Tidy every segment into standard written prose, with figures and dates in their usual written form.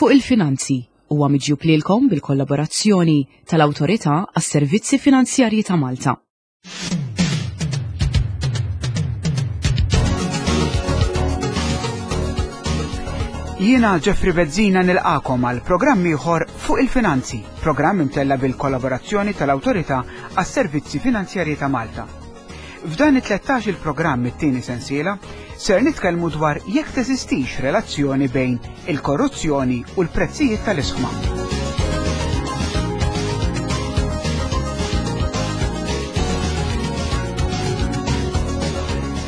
Fuq il-Finanzi huwa miġjub lilkom bil-kollaborazzjoni tal-Awtorità għas-Servizzi Finanzjarji ta' Malta. Jiena Jeffrey Bezzina nilqakom għal programm ieħor fuq il-finanzi, programm imtella bil-kollaborazzjoni tal-Awtorità għas-Servizzi Finanzjarji ta' Malta. F'dan it-13 il-programm it-tieni sensiela ser nitkellmu dwar jekk teżistix relazzjoni bejn il-korruzzjoni u l-prezzijiet tal-isħma.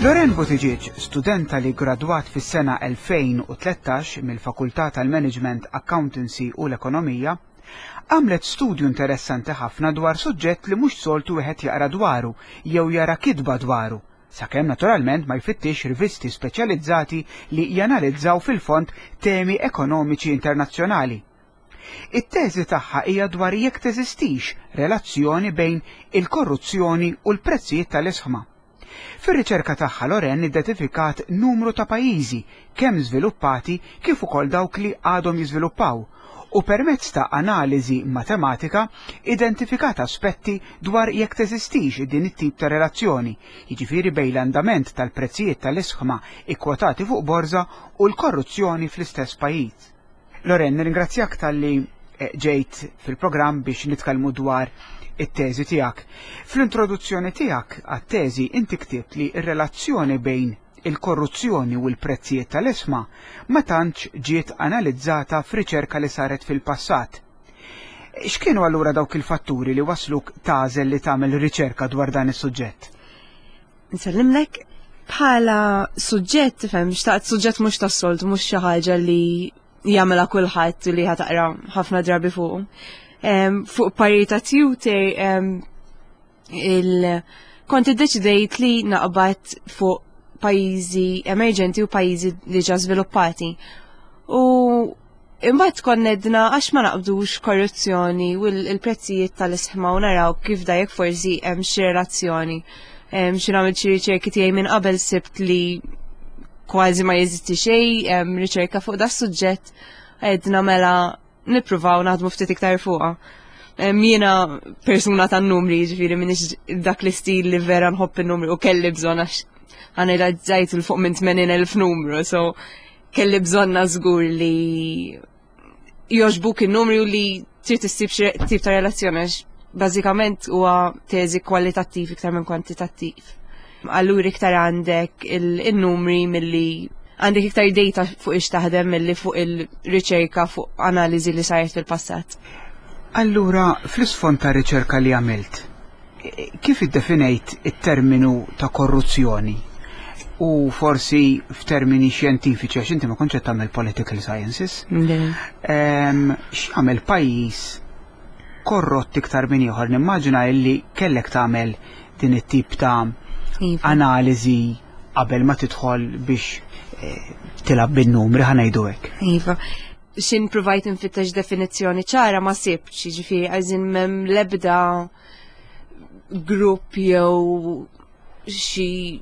Loren Buttigieg, studenta li gradwat fis-sena 2013 mill-Fakultà tal-Management, Accountancy u l-Ekonomija, Għamlet studju interessanti ħafna dwar suġġett li mhux soltu wieħed jaqra dwaru jew jara kitba dwaru, sakemm naturalment ma jfittixx rivisti speċjalizzati li janalizzaw fil-fond temi ekonomiċi internazzjonali. It-teżi tagħha hija dwar jekk teżistix relazzjoni bejn il-korruzzjoni u l-prezzijiet tal-isħma. Fir-riċerka tagħha Lorraine iddetifikat numru ta' pajjiżi, kemm żviluppati kif ukoll dawk li għadhom jiżviluppaw, u permezz ta' analiżi matematika identifikat aspetti dwar jekk teżistix din it-tip ta' relazzjoni, jiġifieri bejn l-andament tal-prezzijiet tal-isħma kkwotati fuq borża u l-korruzzjoni fl-istess pajjiż. Loren, nirringrazzjak talli eh, ġejt fil-programm biex nitkellmu dwar it-teżi tiegħek. Fl-introduzzjoni tiegħek għat-teżi inti ktibt li r-relazzjoni bejn il-korruzzjoni u l-prezzijiet tal-isma ma tantx ġiet analizzata f'riċerka li saret fil-passat. X'kienu allura dawk il-fatturi li wasluk tagħżel li tagħmel riċerka dwar dan is-suġġett? Nsellimlek bħala suġġett, tifhem, xtaqt suġġett mhux tas-soltu, mhux xi ħaġa li jagħmilha kulħadd li ħataqra ħafna drabi fuq. Fuq parir ta' tutor il kont iddeċidejt li naqbad fuq pajjiżi emerġenti u pajjiżi diġà żviluppati. U Imbagħad konna edna għax ma naqbdux korruzzjoni u l-prezzijiet tal-isħma u naraw kif da jekk forsi hemm xi relazzjoni. Xi nagħmel xi riċerki tiegħi minn qabel sibt li kważi ma jeżisti xejn riċerka fuq da suġġett għedna mela nippruvaw naħdmu ftit iktar fuqha. Jiena persuna tan-numri, ġifieri minix dak l-istil li vera nħobb in-numri u kelli bżonn għax analizzajt il fuq minn 80,000 numru, so kelli bżonna żgur li joġbuk in-numri u li trid issib xi tip ta' relazzjoni għax bażikament huwa teżi kwalitattiv iktar minn kwantitattiv. Allura iktar għandek il-numri milli għandek iktar data fuq ix taħdem milli fuq il-riċerka fuq analiżi li saret fil-passat. Allura, fl-isfond ta' riċerka li għamilt, Kif iddefinejt it-terminu ta' korruzzjoni? U forsi f'termini xjentifiċi, għax inti ma kontx qed tagħmel political sciences. X'jagħmel pajjiż korrott iktar minn ieħor? Nimmaġina illi kellek tagħmel din it-tip ta' iva. analiżi qabel ma tidħol biex eh, tilab bin-numri ħanejdu hekk. Iva. Xin provajt nfittex definizzjoni ċara ma sibx, jiġifieri għażin m'hemm l-ebda grupp jew xi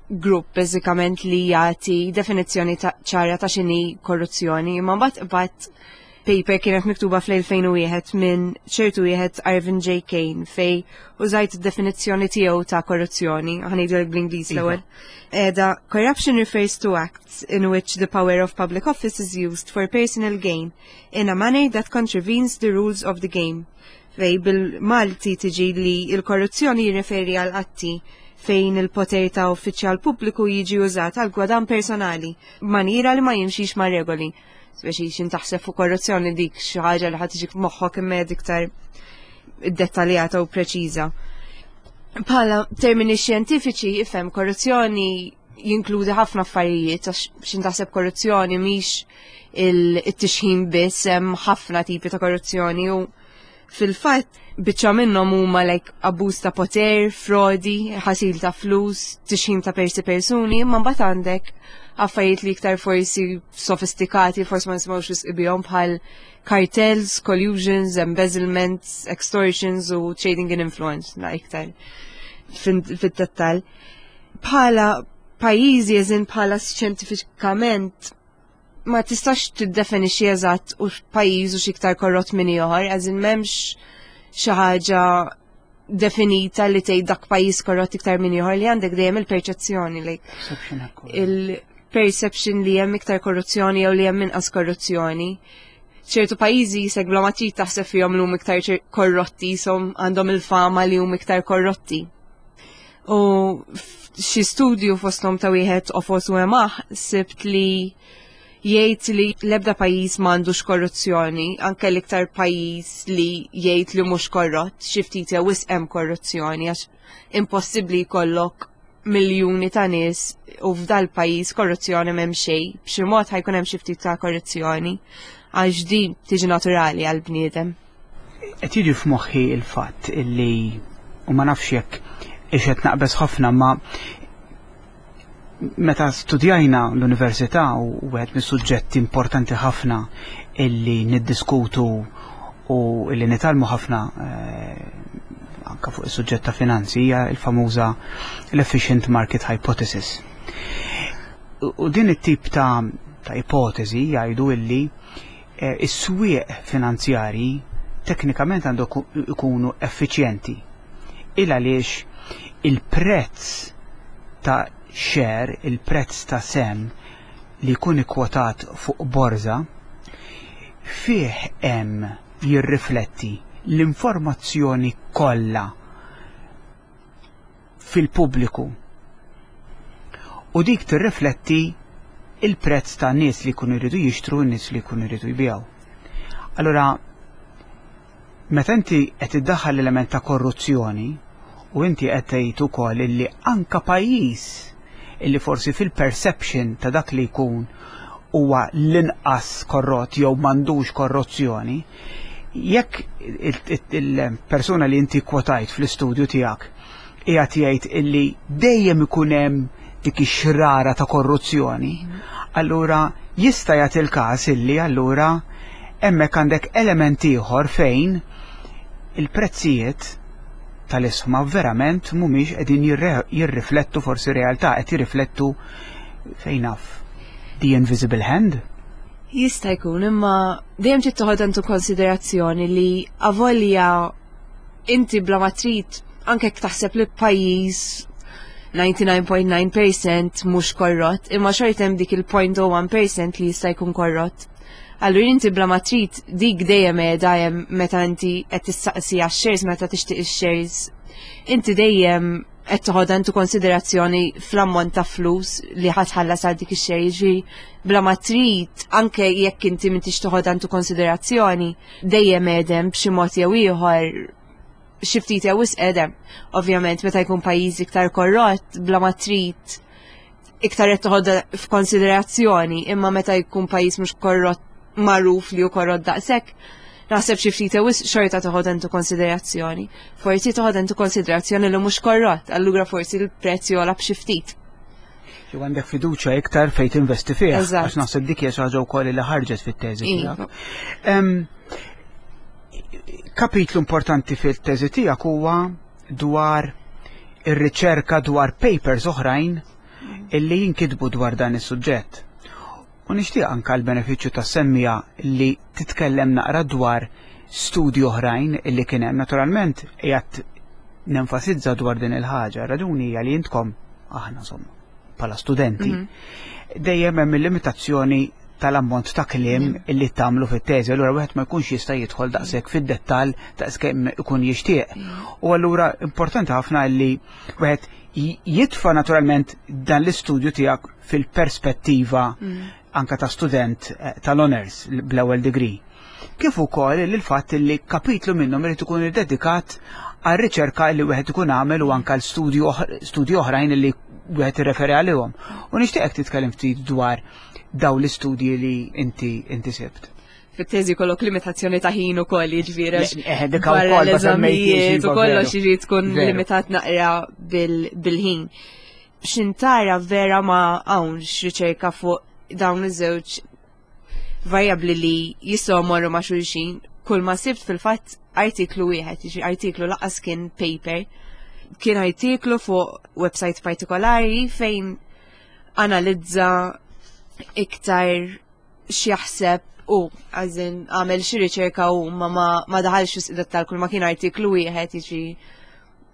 grupp bażikament li jagħti definizzjoni ċara ta' x'inhi korruzzjoni, imma mbagħad qbadt paper kienet miktuba fl-2001 minn ċertu wieħed Arvin J. Kane fej użajt id-definizzjoni tiegħu ta' korruzzjoni, ħanejdu bl-Ingliż iva. l-ewwel. Eda, corruption refers to acts in which the power of public office is used for personal gain in a manner that contravenes the rules of the game. Fej bil-Malti tiġi li l-korruzzjoni jirreferi għal atti fejn il-poter ta' uffiċjal pubbliku jiġi użat għal gwadan personali b'manjira li ma jimxix ma' regoli. Speċi xin taħseb fuq korruzzjoni dik xi ħaġa li ħadd tiġik moħħok imma iktar dettaljata u preċiża. Bħala termini xjentifiċi ifhem korruzzjoni jinkludi ħafna affarijiet għax xin taħseb korruzzjoni mhix il-tixħin biss hemm ħafna tipi ta' korruzzjoni u fil-fatt biċċa minnhom huma like abbuż ta' poter, frodi, ħasil ta' flus, tixħin ta' persi persuni, imma mbagħad għandek affarijiet li iktar forsi sofistikati, forsi ma nisimgħux wisq bihom bħal cartels, collusions, embezzlements, extortions u trading in influence, la iktar fid-dettall. Bħala pajjiżi eżin bħala xjentifikament. Ma tistax tiddefinixxi eżatt u pajjiż u x'iktar korrott minn ieħor, as in m'hemmx xi ħaġa definita li tgħid dak pajjiż korrott iktar minn ieħor li għandek dejjem il-perċezzjoni li il-perception li hemm iktar korruzzjoni jew li hemm inqas korruzzjoni. ċertu pajjiżi jisek bla ma trid taħseb fihom li huma iktar korrotti, jisom għandhom il-fama li huma iktar korrotti. U xi studju fosthom ta' wieħed ofos u emaħ sibt li jgħid li l-ebda pajjiż m'għandux korruzzjoni, anke l-iktar pajjiż li jgħid li mhux korrott, xi ftit jew wisq hemm korruzzjoni għax impossibbli jkollok miljuni ta' nies u f'dal pajjiż korruzzjoni m'hemm xejn, b'xi mod ħajkun hemm xi ftit ta' korruzzjoni għax din tiġi naturali għal bniedem. Qed jiġi f'moħħi il-fatt illi u ma nafx jekk ix qed naqbeż ħafna ma meta studjajna l-università u wieħed mis-suġġetti importanti ħafna illi niddiskutu u illi nitgħallmu ħafna eh, anka fuq is-suġġett ta' finanzi hija l-famuża l-efficient market hypothesis. U din it-tip ta' ta' ipotezi jgħidu illi eh, is-swieq finanzjarji teknikament għandu ikunu effiċjenti. Il għaliex il-prezz ta' share, il-prezz ta' sem li jkun ikkwotat fuq borża, fih hemm jirrifletti l-informazzjoni kollha fil-pubbliku u dik tirrifletti il-prezz ta' nies li jkunu jridu jixtru u nies li jkunu jridu jbigħu. Allura, meta inti qed iddaħħal l-element ta' korruzzjoni u inti qed tgħid ukoll illi anka pajjiż illi forsi fil-perception ta' dak li jkun huwa l-inqas korrott jew m'għandux korruzzjoni, jekk il-persuna li inti kwotajt fl-istudju tiegħek qiegħed jgħid illi dejjem ikun hemm dik ix-xrara ta' korruzzjoni, allura jista' jagħti l-każ illi allura hemmhekk għandek element ieħor fejn il-prezzijiet tal-isħma verament mhumiex qegħdin jirriflettu forsi realtà, qed jirriflettu fejn naf the invisible hand. Jista' jkun, imma dejjem trid toħod intu konsiderazzjoni li avolja inti bla ma trid anke jekk taħseb li pajjiż 99.9% mhux korrott, imma xorta hemm dik il-0.01% li jista' jkun korrott. Allura inti bla ma trid dik dejjem qiegħda hemm meta inti qed tistaqsi għax-shares meta tixtieq ix-shares. Inti dejjem qed toħodha intu konsiderazzjoni fl-ammont ta' flus li ħa tħallas għal dik ix-share, jiġifieri bla ma trid anke jekk inti m'intix toħodha intu konsiderazzjoni dejjem qegħdem b'xi mod jew ieħor xi ftit jew wisq qegħdem. Ovvjament meta jkun pajjiż iktar korrott bla ma trid iktar qed toħodha f'konsiderazzjoni, imma meta jkun pajjiż mhux korrott magħruf li hu korrott daqshekk, naħseb xi ftit wisq xorta toħodha intu konsiderazzjoni. Forsi toħodha intu konsiderazzjoni li mhux korrott, allura forsi l-prezz jogħla b'xi ftit. Jew għandek fiduċja iktar fejn tinvesti fih. Għax naħseb dik hija xi ħaġa wkoll li ħarġet fit-teżi iva. tiegħek. Kapitlu importanti fil-teżi tiegħek huwa dwar ir-riċerka dwar papers oħrajn illi jinkitbu dwar dan is-suġġett. U nixtieq anke l-benefiċċju tas-semmija li titkellem naqra dwar studji oħrajn illi kien hemm. Naturalment qiegħed nenfasizza dwar din il-ħaġa, raġuni hija li intkom aħna insomma bħala studenti mhm. dejjem hemm il-limitazzjoni tal-ammont ta' kliem mhm. illi tagħmlu fit-teżi, allura wieħed ma jkunx jista' jidħol daqshekk fid-dettall daqskemm ikun jixtieq. Mhm. U allura importanti ħafna li wieħed jitfa' naturalment dan l-istudju tiegħek fil-perspettiva mm. anka ta' student eh, tal-honors bl-ewwel degree. Kif ukoll il-fatt li kapitlu minnhom irid ikun iddedikat għal riċerka li wieħed ikun għamel u anka l-studju oħrajn li wieħed irreferi għalihom. U nixtieqek titkellem ftit dwar daw l-istudji li inti inti sibt fit-teżi kollok limitazzjoni ta' ħin ukoll jiġifieri. Eh, dik ukoll l-eżamijiet u kollox jiġi tkun limitat naqra bil-ħin. Xintara vera ma hawnx riċerka fuq dawn iż-żewġ varjabbli li jistgħu morru ma' xulxin. Kull ma sibt fil-fatt artiklu wieħed, jiġi artiklu laqas kien paper, kien artiklu fuq website partikolari fejn analizza iktar x'jaħseb u għazin għamel xi riċerka u ma ma daħalx fis dettal kull ma kien artiklu wieħed jiġi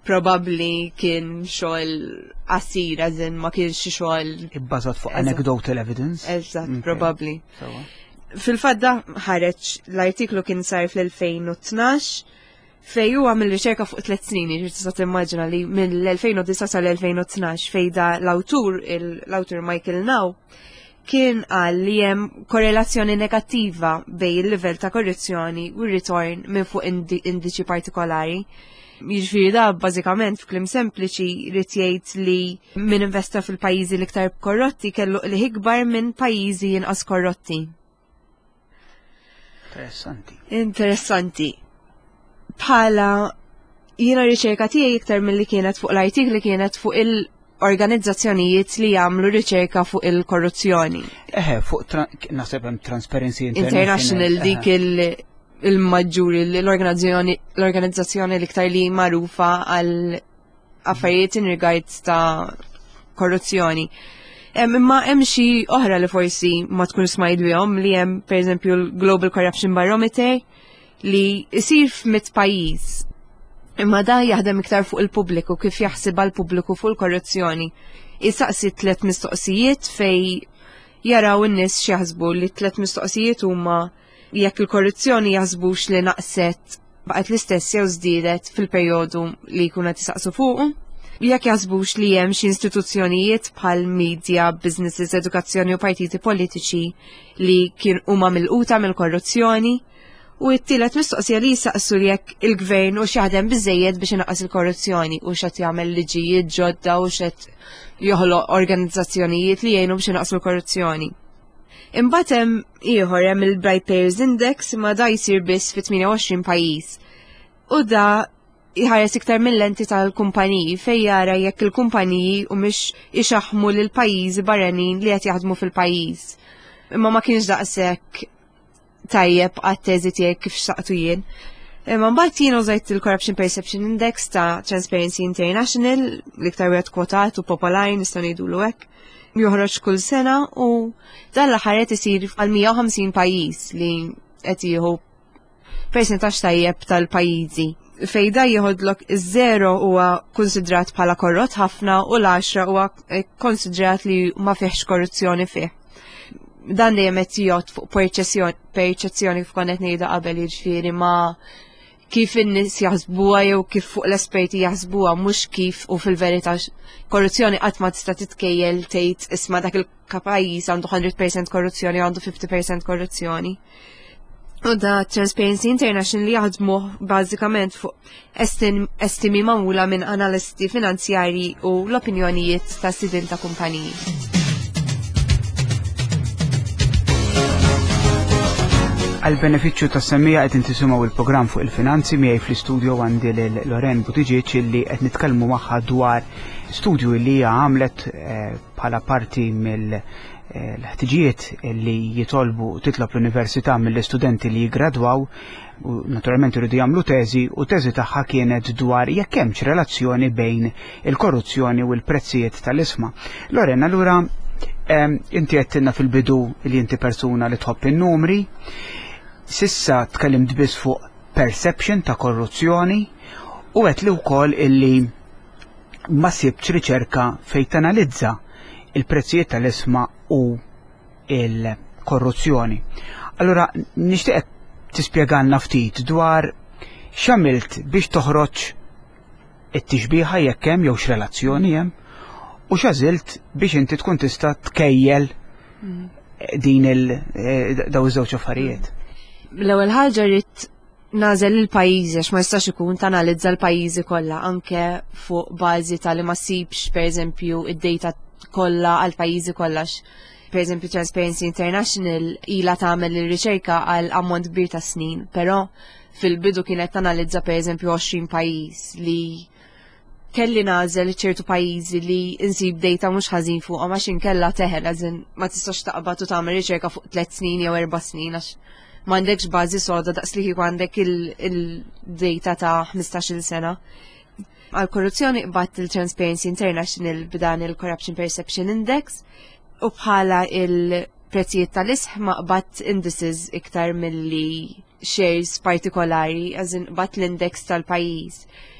probabbli kien xogħol qasir għazin ma kienx xi xogħol ibbażat fuq anecdotal evidence. Eżatt, probabbli. Fil-fatt da ħareġ l-artiklu kien sar fl-2012 fej huwa għamel riċerka fuq tliet snin, jiġifieri tista' timmaġina li mill-2009 sal-2012 fej da l-awtur, l-awtur Michael Now, kien qal li hemm korrelazzjoni negattiva bej il-livell ta' korruzzjoni u r-ritorn minn fuq indiċi partikolari. Jiġifieri da bażikament f'kliem sempliċi jrid jgħid li min investa fil-pajjiżi l-iktar korrotti kellu qligħ ikbar minn pajjiżi inqas korrotti. Interessanti. Interessanti. Bħala jiena riċerka tiegħi iktar milli kienet fuq l-artikli kienet fuq il-organizzazzjonijiet li jagħmlu riċerka fuq il-korruzzjoni. Eħe, fuq naħseb hemm Transparency International. International dik il-maġġuri l-organizzazzjoni l-iktar li magħrufa għal affarijiet in regards ta' korruzzjoni. Imma hemm xi oħra li forsi ma tkun smajt bihom li hemm pereżempju l-Global Corruption Barometer li jsir f'mit pajjiż. Imma da jaħdem iktar fuq il-pubbliku kif jaħsibha l-pubbliku fuq il-korruzzjoni. Isaqsi tliet mistoqsijiet fej jaraw in-nies x'jaħsbu li tliet mistoqsijiet huma jekk il-korruzzjoni jaħsbux li naqset baqgħet l-istess jew żdiedet fil-perjodu li jkunu qed isaqsu fuqu. Jekk jaħsbux li hemm xi istituzzjonijiet bħal media, businesses, edukazzjoni u partiti politiċi li kien huma milquta mill-korruzzjoni. U t-tielet mistoqsija li jisaqsu li jekk il-gvern u x'jaħdem biżejjed biex inaqqas il-korruzzjoni u x'qed jagħmel liġijiet ġodda u x'qed joħloq organizzazzjonijiet li jgħinu biex inaqqsu l-korruzzjoni. Imbagħad hemm ieħor hemm il-Bright Payers Index imma da jsir biss fi 28 pajjiż. U da jħares iktar mill-lenti tal-kumpaniji fejn jara jekk il-kumpaniji u mhix ixaħmu lil pajjiżi barranin li qed jaħdmu fil-pajjiż. Imma ma kienx daqshekk tajjeb għat-teżi tiegħi kif xtaqtu jien. Imma mbagħad jien użajt il-Corruption Perception Index ta' Transparency International, l-iktar wieħed kwotat u popolari nistgħu ngħidulu hekk. Joħroġ kull sena u dan l-aħħar qed isir għal 150 pajjiż li qed jieħu persentaġġ tajjeb tal-pajjiżi. Fejn da jieħodlok iż-żero huwa konsidrat bħala korrott ħafna u l-10 huwa konsidrat li ma fihx korruzzjoni fih. Dan dejjem qed jgħod fuq perċezzjoni kif konna qed ngħidu qabel jiġifieri ma kif in-nies jaħsbuha jew kif fuq l-esperti jaħsbuha mhux kif u fil-verità korruzzjoni qatt ma tista' titkejjel tgħid isma' dak il-pajjiż għandu 100% korruzzjoni u għandu 50% korruzzjoni. U da Transparency International li jaħdmu bażikament fuq estimi magħmula minn analisti finanzjarji u l-opinjonijiet ta' sidin ta' kumpaniji. Għal benefiċċju ta' semmija qed intisimgħu il-programm fuq il-finanzi miegħi fl-istudio għandi lil Loren Buttigieg illi qed nitkellmu magħha dwar studju li hija għamlet eh, bħala parti mill eh, l-ħtiġijiet li jitolbu titlob l-università mill-istudenti li jigradwaw u naturalment iridu jagħmlu teżi u teżi tagħha kienet dwar jekk hemmx relazzjoni bejn il-korruzzjoni u l-prezzijiet tal-isma. Loren, allura inti għedtilna fil-bidu li inti persuna li tħobb in-numri, sissa tkellimt biss fuq perception ta' korruzzjoni u għedt li wkoll illi ma sibtx riċerka fejn tanalizza il-prezzijiet tal-isma u il-korruzzjoni. Allura nixtieq tispjegalna ftit dwar x'għamilt biex toħroġ it-tixbiha jekk hemm jew x'relazzjoni hemm u x'għażilt biex inti tkun tista' tkejjel mm. din il eh, daw iż-żewġ affarijiet. L-ewwel ħaġa rrid nagħżel il-pajjiżi għax ma jistax ikun tanalizza l-pajjiżi kollha anke fuq bażi ta' li ma ssibx pereżempju id-data kollha għal pajjiżi kollha. Pereżempju Transparency International ilha tagħmel ir-riċerka għal ammont kbir ta' snin, però fil-bidu kienet tanalizza pereżempju 20 pajjiż li kelli nagħżel ċertu pajjiżi li insib data mhux ħażin fuqhom għax inkella teħel għażin ma tistax taqbad u tagħmel riċerka fuq tliet snin jew erba' snin għax m'għandekx bażi soda daqs li kieku għandek il-data ta' 15-il sena. Għal korruzzjoni qbadt il-Transparency International b'dan il-Corruption Perception Index u bħala il- prezzijiet tal-isħma qbadt indices iktar milli shares partikolari, as in qbadt l-index tal-pajjiż.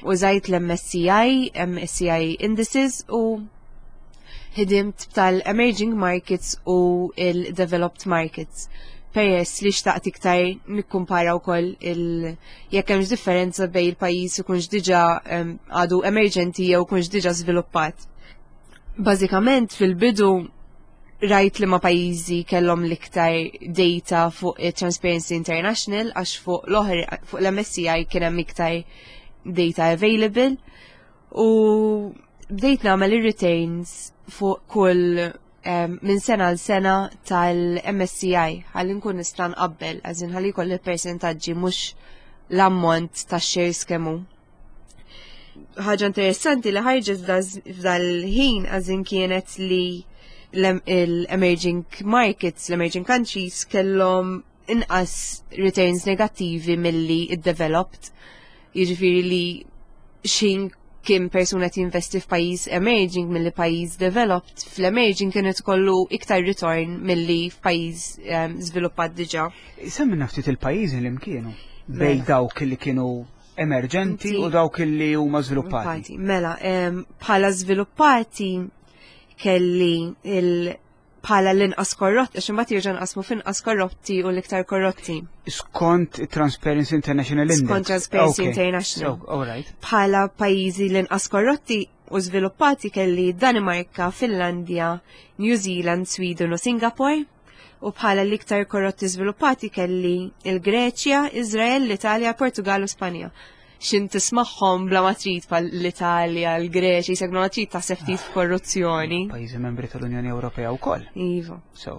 Użajt l-MSCI, MSCI indices u ħdimt tal-emerging markets u il-developed markets. Peress li xtaqt iktar nikkumpara wkoll il jekk hemmx differenza bejn il-pajjiż ikunx diġà għadu emerġenti jew ikunx diġà żviluppat. Bażikament fil-bidu rajt li ma pajjiżi kellhom l-iktar data fuq Transparency International għax fuq l-oħra fuq l-MSCI kien hemm iktar data available u bdejt nagħmel ir-returns fuq kull minn sena għal sena tal-MSCI ħalli nkun nista' nqabbel, għażin ħalli jkolli persentaġġi mhux l-ammont ta' shares kemm hu. Ħaġa interessanti li ħarġet f'dal-ħin għażin kienet li l-emerging markets, l-emerging countries kellhom inqas returns negattivi milli id-developed. Jiġifieri li xin kien persuna tinvesti f'pajjiż emerging milli pajjiż developed, fl-emerging kienet kollu iktar return milli f'pajjiż żviluppat diġà. Semmilna ftit il-pajjiżi li mkienu bej mela. dawk li kienu emerġenti u dawk li huma żviluppati. Mela, bħala żviluppati kelli il bħala l-inqas korrotti, għax imbagħad jerġa' nqasmu f'inqas korrotti u l-iktar korrotti. Skont Transparency International Index. Skont Transparency International. So, all right. Bħala pajjiżi l-inqas korrotti u żviluppati kelli Danimarka, Finlandja, New Zealand, Sweden u Singapore. U bħala l-iktar korrotti żviluppati kelli il-Greċja, Izrael, l-Italja, Portugal u Spanja. Xin tismagħhom bla ma trid bħal l-Italja, l-Greċja, jisek bla ma trid taħseb ftit f'korruzzjoni. Pajjiżi membri tal-Unjoni Ewropea wkoll. Iva. So.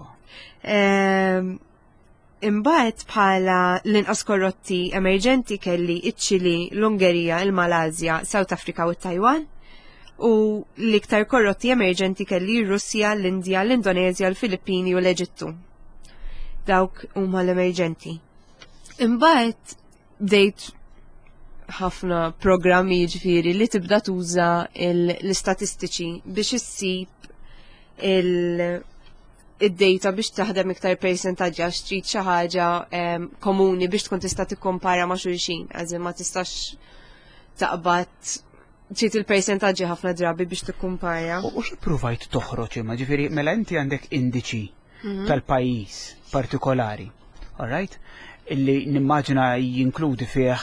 Imbagħad bħala l-inqas korrotti emerġenti kelli iċ-Ċili, l-Ungerija, il-Malasja, South Africa u t-Taiwan. U l-iktar korrotti emerġenti kelli r-Russja, l-Indja, l-Indonezja, l-Filippini u l-Eġittu. Dawk huma l-emerġenti. Imbagħad bdejt ħafna programmi ġifieri li tibda tuża l-istatistiċi biex issib id-data biex taħdem iktar percentaġġi għax trid xi ħaġa komuni biex tkun tista' tikkompara ma' xulxin, għażin ma tistax taqbad trid il-percentaġġi ħafna drabi biex tikkumpara. U xi provajt toħroġ imma ġifieri mela inti għandek indiċi tal-pajjiż partikolari, all right? Illi nimmaġina jinkludi fih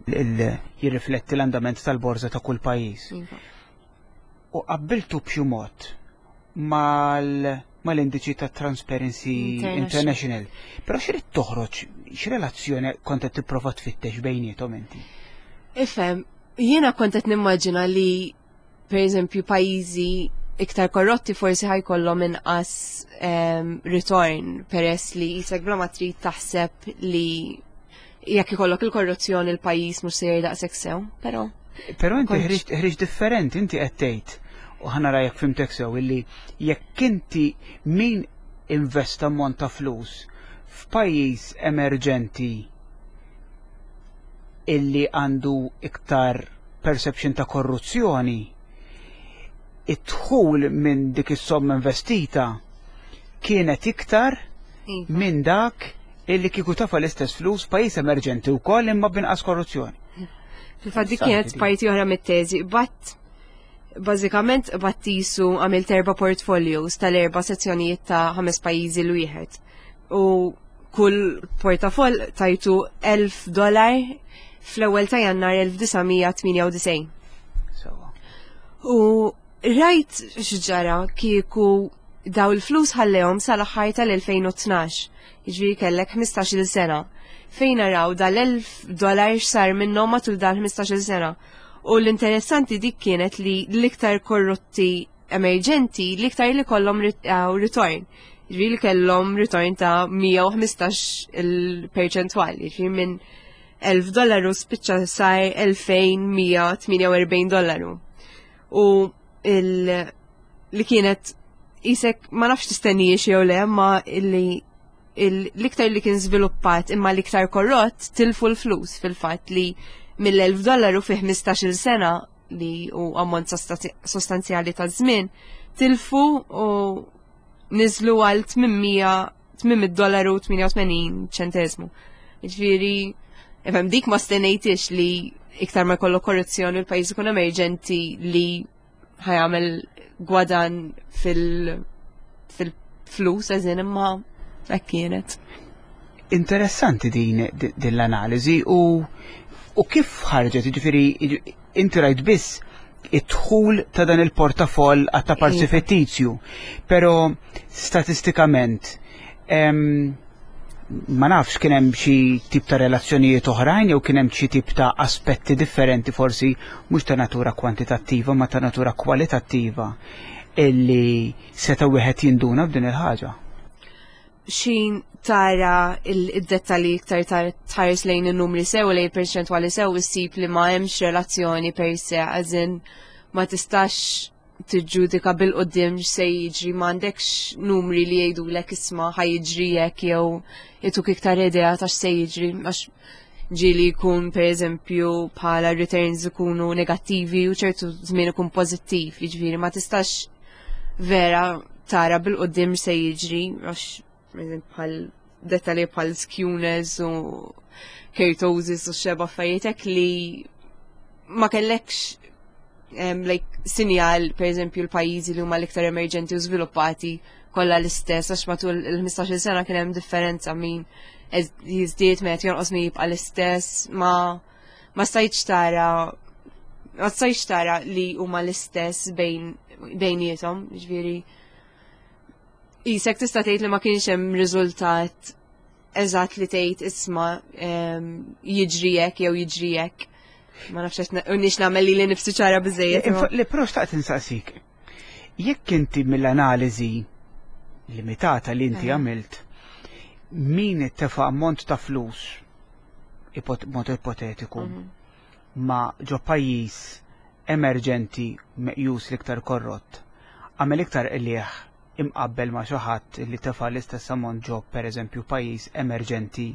jirrifletti l-andament tal-borża ta' kull pajjiż. Iva. U qabbiltu b'xi mod mal-indiċi ta' Transparency International. International. Però x'irid toħroġ, x'relazzjoni kont qed tipprova tfittex bejniethom inti? Ifhem, jiena kont qed nimmaġina li per eżempju pajjiżi iktar korrotti forsi ħajkollhom inqas return peress li jisek bla ma trid taħseb li jekk ikollok il-korruzzjoni il-pajjiż mhux se daqshekk sew, però Però inti Kontx. ħriġt differenti, inti qed tgħid u ħa nara jekk fhimtek sew illi jekk inti min investa ammont ta' flus f'pajjiż emerġenti illi għandu iktar perception ta' korruzzjoni, id-dħul minn dik is-somma investita kienet iktar Iva. minn dak illi kieku tafa l-istess flus pajjiż emerġenti wkoll imma b'inqas korruzzjoni. Fil-fatt dik Interessanti kienet din. parti oħra mit-teżi, bat bażikament battisu għamilt erba' portfolios tal-erba' sezzjonijiet ta' ħames pajjiżi l wieħed. U kull portafoll tajtu 1000 dollar fl-ewwel ta' Jannar 1998. Sewa. U rajt x'ġara kieku daw il-flus ħallehom sal-aħħar tal-2012, jiġifieri kellek 15-il sena. Fejn naraw dal-1000 dollar x'sar minnhom matul dan 15-il sena. U l-interessanti dik kienet li l-iktar korrotti emerġenti, l-iktar li kollhom return. Jiġifieri li kellhom return ta' 115 il-perċentwal, jiġifieri minn 1000 dollaru spiċċa sar 2148 dollaru. U li kienet isek ma nafx tistennijiex jew le, ma illi l-iktar li kien żviluppat imma l-iktar korrott tilfu l-flus fil-fatt li mill-1000 dollaru fi 15-il sena li u ammont sostanzjali ta' żmien tilfu u niżlu għal 800 dollaru 88 ċentesmu. Ġifieri, ifhem dik ma stennejtix li iktar ma jkollok korruzzjoni l-pajjiż ikun emerġenti li ħa jagħmel gwadan fil-flus eżin imma hekk kienet. Interessanti din din l-analiżi u u kif ħarġet, ġifieri inti rajt biss id-dħul ta' dan il-portafoll għatta parti iva. fittizju, pero statistikament ma nafx kien hemm xi tip ta' relazzjonijiet oħrajn jew kien hemm xi tip ta' aspetti differenti forsi mhux ta' natura kwantitattiva ma ta' natura kwalitattiva illi seta' wieħed jinduna b'din il-ħaġa. Xin tara il-dettalji iktar tħares lejn in-numri sew lejn perċentwali sew issib li ma hemmx relazzjoni per se għażin ma tistax tiġġudika bil-qoddim x'se jiġri m'għandekx numri li jgħidulek isma' ħa jiġri hekk jew ituk iktar idea ta' x'se jiġri għax ġieli jkun pereżempju bħala returns ikunu negattivi u ċertu żmien ikun pożittiv, jiġifieri ma tistax vera tara bil-qoddim x'se jiġri għax bħal dettalji bħal skewness u kurtosis u xeba affarijiet hekk li ma kellekx like, sinjal, per eżempju, l-pajjiżi li huma l-iktar emerġenti u żviluppati kollha l-istess, għax matul il-15 sena kien hemm differenza min jiżdied meta jonqos min jibqa' l-istess, ma ma stajtx tara ma stajtx tara li huma l-istess bejn bejniethom, ġifieri Isek tista' tgħid li ma kienx hemm riżultat eżatt li tgħid isma' jiġri hekk jew jiġri hekk. Ma nafx qed nix nagħmel li nifsi ċara biżejjed. Li però xtaqt insaqsik. Jekk inti mill-analiżi limitata li inti għamilt, min tefa' ammont ta' flus, mod ipotetiku, ma ġo pajjiż emerġenti meqjus l-iktar korrott, għamel iktar qligħ imqabbel ma' xi ħadd li tefa' l-istess ammont ġo pereżempju pajjiż emerġenti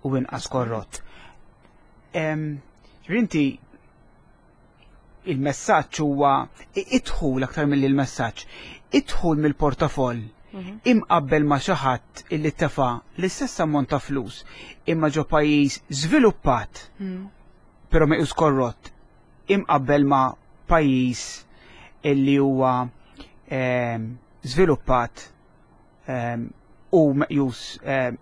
u inqas korrott. Inti il-messaġġ huwa idħul aktar milli l-messaġġ, idħul mill-portafoll imqabbel ma' xi ħadd illi tefa' l-istess ammont ta' flus imma ġo pajjiż żviluppat però meqjus korrott imqabbel ma' pajjiż illi huwa żviluppat u meqjus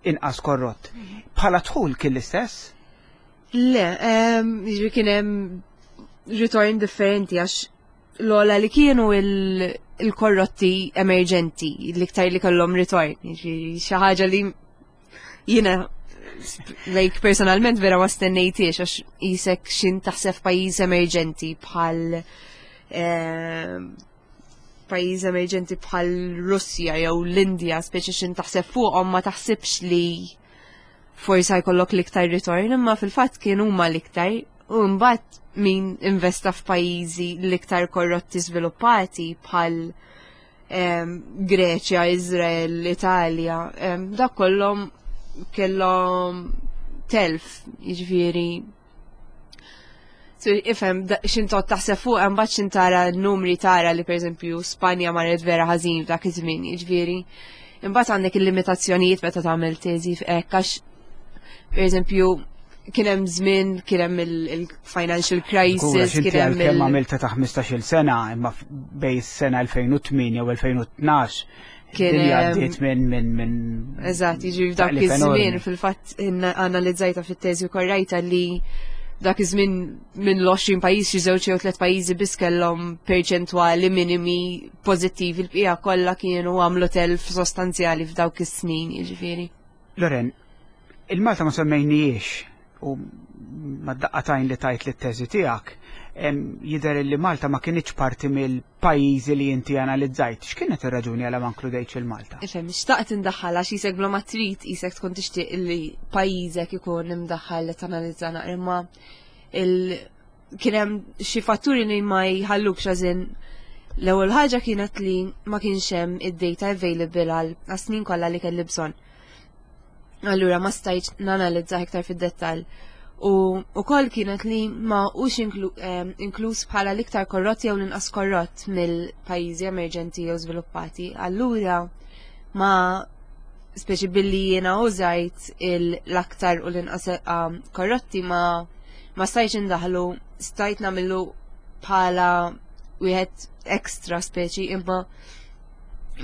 inqas korrott. Bħala dħul kien l-istess? Le, jiġifieri kien hemm ritorn differenti għax l-ogħla li kienu il-korrotti emerġenti, l-iktar li kellhom ritorn, jiġifieri xi ħaġa li jiena like personalment vera ma stennejtiex għax isek xin taħseb pajjiż emerġenti bħal pajjiż emerġenti bħal Russja jew l-Indja, speċi xin taħseb fuqhom ma taħsibx li forsi jkollok l-iktar ritorn, imma fil-fatt kienu huma l-iktar u mbagħad min investa f'pajjiżi l-iktar korrotti żviluppati bħal Greċja, Izrael, Italja, dak kollhom kellhom telf, jiġifieri. So, ifhem, xin tot taħseb fuq, mbagħad xin tara n-numri tara li pereżempju Spanja marret vera ħażin f'dak iż-żmien, jiġifieri. Imbagħad għandek il-limitazzjonijiet meta tagħmel teżi hekk għax pereżempju kien hemm żmien, kien hemm il-financial crisis, kien hemm kemm għamilta ta' 15-il sena, imma bej sena 2008 jew 2012 kien għaddiet minn minn minn Eżatt, jiġri f'dak iż-żmien fil-fatt analizzajta fit-teżi u korrajta li dak iż-żmien minn l-20 pajjiż xi żewġ jew tliet pajjiżi biss kellhom perċentwali minimi pożittivi l-bqija kollha kienu għamlu telf sostanzjali f'dawk is-snin, jiġifieri. Loren, il-Malta ma semmejnijiex u ma daqqatajn li tajt li t-teżi tiegħek, jidher li Malta ma kinitx parti mill-pajjiżi li inti analizzajt. X'kienet ir-raġuni għala ma inkludejtx il-Malta? Ifhem, xtaqt indaħħal għax isek bla ma trid isek tkun tixtieq li pajjiżek ikun imdaħħal li tanalizza naqra imma il kien hemm xi fatturi li ma jħallukx għażin l-ewwel ħaġa kienet li ma kienx hemm id-data available għal snin kollha li kelli bżonn. Allura ma stajtx nanalizza iktar fid-dettall. U ukoll kienet li ma hux inkluż bħala l-iktar korrott jew l-inqas korrott mill-pajjiżi emerġenti jew żviluppati. Allura Ma speċi billi jiena użajt l-aktar u l-inqas um, korrotti ma ma stajtx indaħlu, stajt nagħmlu bħala wieħed extra speċi imma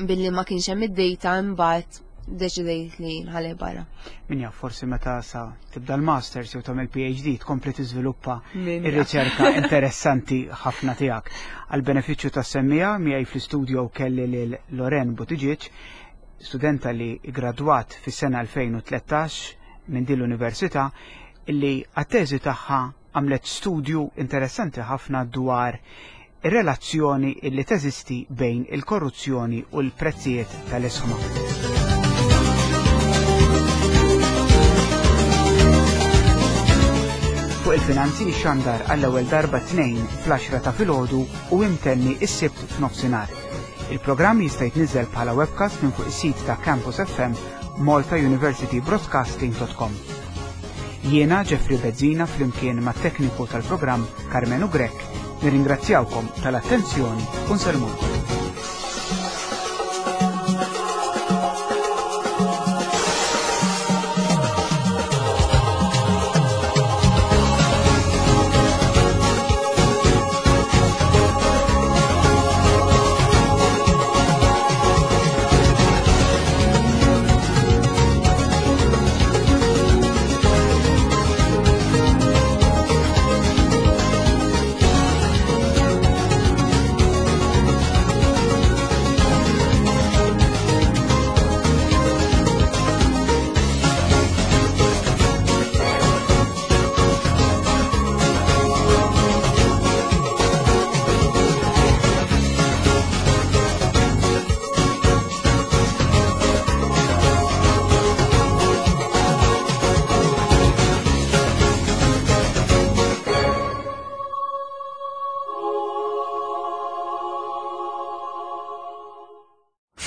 billi ma kienx hemm id-data imbagħad deċidejt li nħalli barra. Min jaf forsi meta sa tibda l-masters jew tagħmel PhD tkompli tiżviluppa ir-riċerka interessanti ħafna tiegħek. Għal benefiċċju tas-semmija miegħi fl-istudio kelli lil Loren Buttigieg, studenta li gradwat fis-sena 2013 minn din l-università illi għat-teżi tagħha għamlet studju interessanti ħafna dwar ir-relazzjoni illi teżisti bejn il-korruzzjoni u l-prezzijiet tal-isħma. Fuq il-finanzi xandar għall-ewwel darba tnejn fl-10 ta' filgħodu u imtenni s-sibt f'nofsinhar. Il-programm jista' jitniżel bħala webcast minn fuq is-sit ta' Campus FM maltauniversitybroadcasting.com. Jiena Jeffrey Bezzina flimkien mat-tekniku tal-programm Karmenu Grech nirringrazzjawkom tal-attenzjoni u nsellmulkom.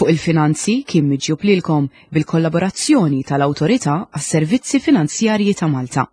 Fuq il-finanzi kien miġjub lilkom bil-kollaborazzjoni tal-Awtorità għas-Servizzi Finanzjarji ta' Malta.